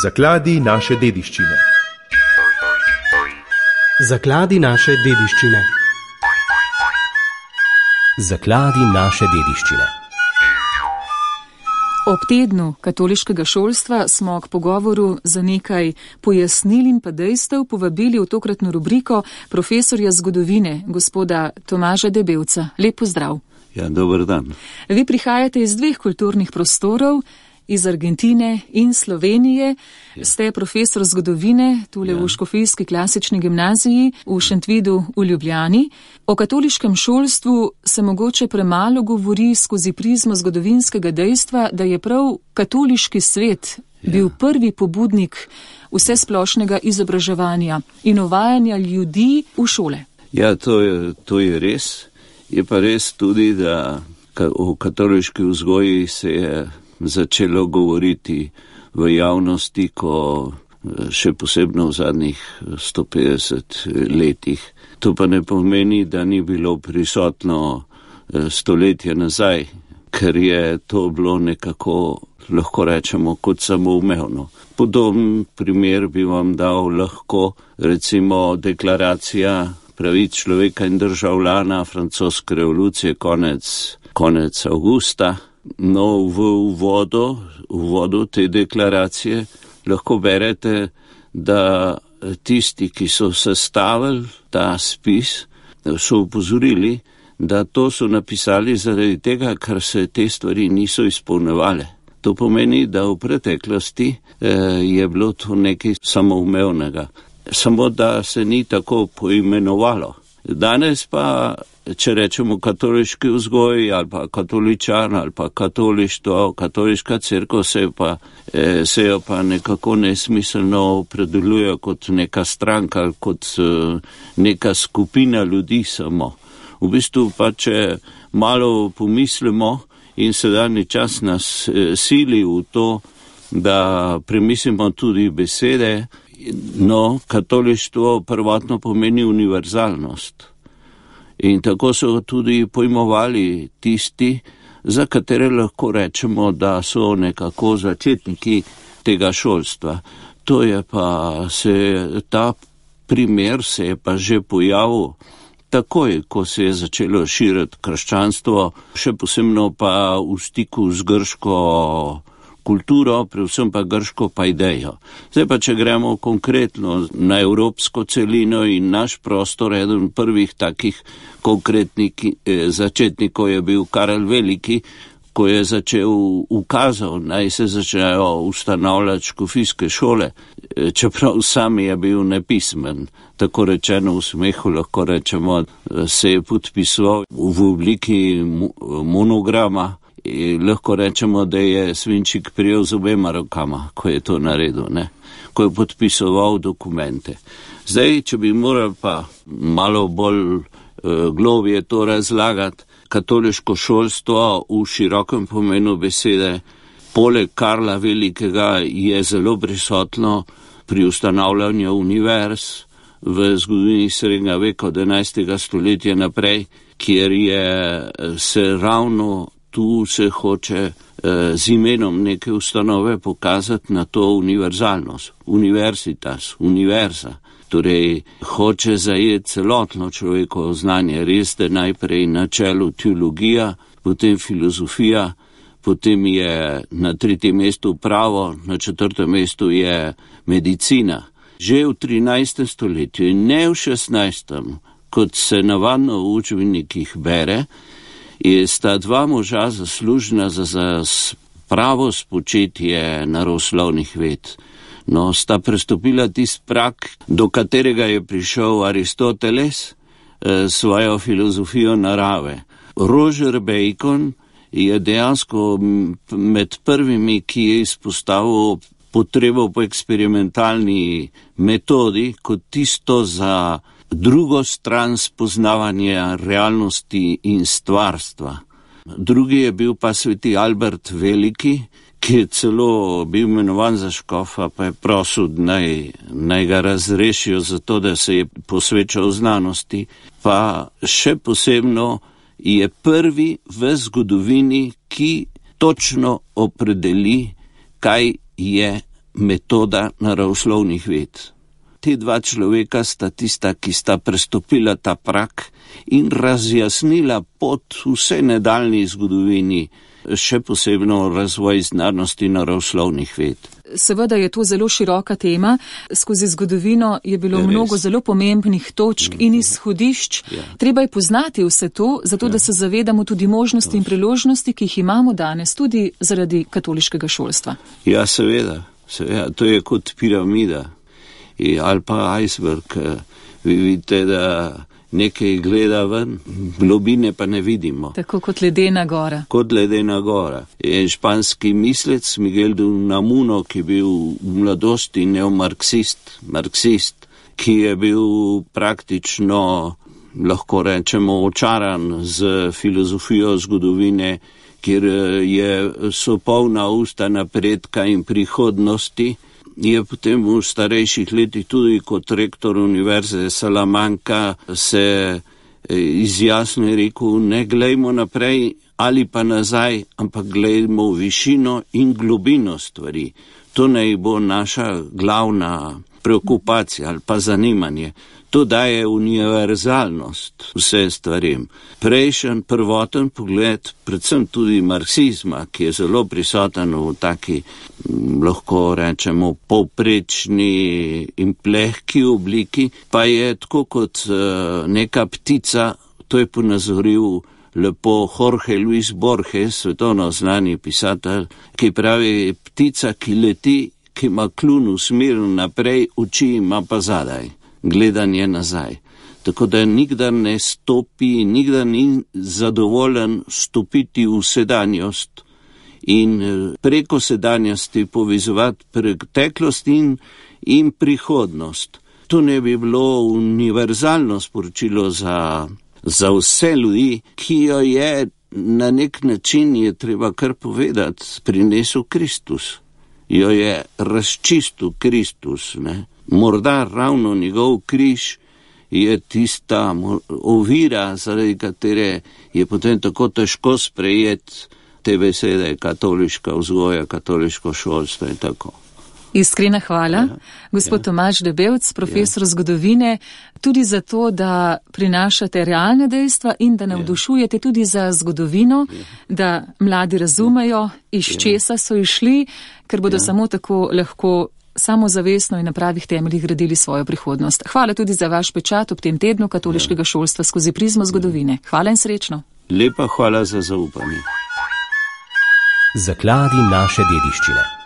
Zakladi naše dediščine. Zakladi naše dediščine. Zakladi naše dediščine. Ob tednu katoliškega šolstva smo k pogovoru za nekaj pojasnil in pa dejstev povabili v tokratno rubriko profesorja zgodovine, gospoda Tomaža Debevca. Lep pozdrav. Ja, dober dan. Vi prihajate iz dveh kulturnih prostorov, iz Argentine in Slovenije. Ja. Ste profesor zgodovine tule v Škofijski klasični gimnaziji v Šentvidu v Ljubljani. O katoliškem šolstvu se mogoče premalo govori skozi prizmo zgodovinskega dejstva, da je prav katoliški svet bil prvi pobudnik vsesplošnega izobraževanja in uvajanja ljudi v šole. Ja, to je res. Je pa res tudi, da o katoliški vzgoji se je začelo govoriti v javnosti, ko še posebno v zadnjih 150 letih. To pa ne pomeni, da ni bilo prisotno stoletje nazaj, ker je to bilo nekako, lahko rečemo, kot samoumevno. Podoben primer bi vam dal lahko, recimo, deklaracija pravic človeka in državljana francoske revolucije konec avgusta. No, v uvodu te deklaracije lahko berete, da tisti, ki so sestavili ta spis, so upozorili, da to so napisali zaradi tega, ker se te stvari niso izpolnjevale. To pomeni, da v preteklosti je bilo to nekaj samoumevnega. Samo da se ni tako poimenovalo. Danes pa, če rečemo katoliški vzgoj ali pa katoličan ali pa katolištvo, katoliška cerkev se jo pa nekako nesmiselno opredeljuje kot neka stranka, kot neka skupina ljudi samo. V bistvu pa, če malo pomislimo in sedanji čas nas sili v to, da premislimo tudi besede, no, katolištvo prvotno pomeni univerzalnost. In tako so tudi pojmovali tisti, za katere lahko rečemo, da so nekako začetniki tega šolstva. To je pa ta primer se je pa že pojavil takoj, ko se je začelo širiti krščanstvo, še posebno pa v stiku z grško kulturo, predvsem pa grško paidejo. Zdaj pa, če gremo konkretno na evropsko celino in naš prostor, eden prvih takih konkretnih začetnikov je bil Karel Veliki, ko je ukazal, naj se začnejo ustanavljati škofijske šole, čeprav sam je bil nepismen. Tako rečeno v smehu lahko rečemo, se je podpisoval v obliki monograma. Lahko rečemo, da je svinčik prijel z obema rokama, ko je to naredil, ko je podpisoval dokumente. Zdaj, če bi moral pa malo bolj globje to razlagati, katoliško šolstvo v širokem pomenu besede, poleg Karla Velikega je zelo prisotno pri ustanavljanju univerz v zgodovini srednjega veka od 11. stoletja naprej, kjer je se ravno tu se hoče z imenom neke ustanove pokazati na to univerzalnost. Universitas, univerza. Torej, hoče zajeti celotno človekovo znanje. Res, da najprej na čelu teologija, potem filozofija, potem je na 3. mestu pravo, na 4. mestu je medicina. Že v 13. stoletju in ne v 16. kot se navadno v učbenikih bere, sta dva moža zaslužna za pravo spočetje naravoslovnih ved. No, sta prestopila tisti prak, do katerega je prišel Aristoteles svojo filozofijo narave. Roger Bacon je dejansko med prvimi, ki je izpostavil potrebo po eksperimentalni metodi kot tisto za drugo stran spoznavanja realnosti in stvarstva. Drugi je bil pa sveti Albert Veliki, ki je celo bil imenovan za škofa, pa je prosil, naj ga razrešijo zato, da se je posvečal znanosti. Pa še posebno je prvi v zgodovini, ki točno opredeli, kaj je metoda naravoslovnih ved. Te dva človeka sta tista, ki sta prestopila ta prak in razjasnila pot vse nadaljni zgodovini, še posebno razvoj znanosti naravoslovnih ved. Seveda je to zelo široka tema. Skozi zgodovino je bilo mnogo zelo pomembnih točk in izhodišč. Treba je poznati vse to, zato da se zavedamo tudi možnosti in priložnosti, ki jih imamo danes, tudi zaradi katoliškega šolstva. Ja, seveda. To je kot piramida ali pa iceberg. Vi vidite, da nekaj gleda ven, globine pa ne vidimo. Tako kot ledena gora. Kot ledena gora. Je španski mislec Miguel de Unamuno, ki je bil v mladosti marksist, ki je bil praktično, lahko rečemo, očaran z filozofijo zgodovine, kjer so polna usta napredka in prihodnosti. Je potem v starejših letih tudi kot rektor Univerze Salamanca se izjasno rekel, ne glejmo naprej ali pa nazaj, ampak glejmo višino in globino stvari. To naj bo naša glavna preokupacija ali pa zanimanje. To daje univerzalnost vse stvarem. Prejšen, prvoten pogled, predvsem tudi marksizma, ki je zelo prisoten v taki, lahko rečemo, povprečni in plehki obliki, pa je tako kot neka ptica, to je ponazoril lepo Jorge Luis Borges, svetovno znani pisatelj, ki pravi, ptica, ki leti, ki ima kljun usmerjen naprej, oči ima pa zadaj. Gledanje nazaj. Tako da nikdar ne stopi, nikdar ni zadovoljen stopiti v sedanjost in preko sedanjosti povezovati preteklost in prihodnost. To ne bi bilo univerzalno sporočilo za vse ljudi, ki jo je na nek način, je treba kar povedati, prinesel Kristus. Jo je razčistil Kristus, ne? Morda ravno njegov križ je tista ovira, zaradi katere je potem tako težko sprejeti te besede katoliška vzgoja, katoliško šolstvo in tako. Iskrena hvala, gospod Tomaž Debevc, profesor zgodovine, tudi za to, da prinašate realne dejstva in da navdušujete tudi za zgodovino, da mladi razumejo, iz česa so išli, ker bodo samo tako lahko samozavestno in na pravih temeljih gradili svojo prihodnost. Hvala tudi za vaš pečat ob tem tednu katoliškega šolstva skozi prizmo zgodovine. Hvala in srečno. Lepa hvala za zaupanje. Zakladi naše dediščine.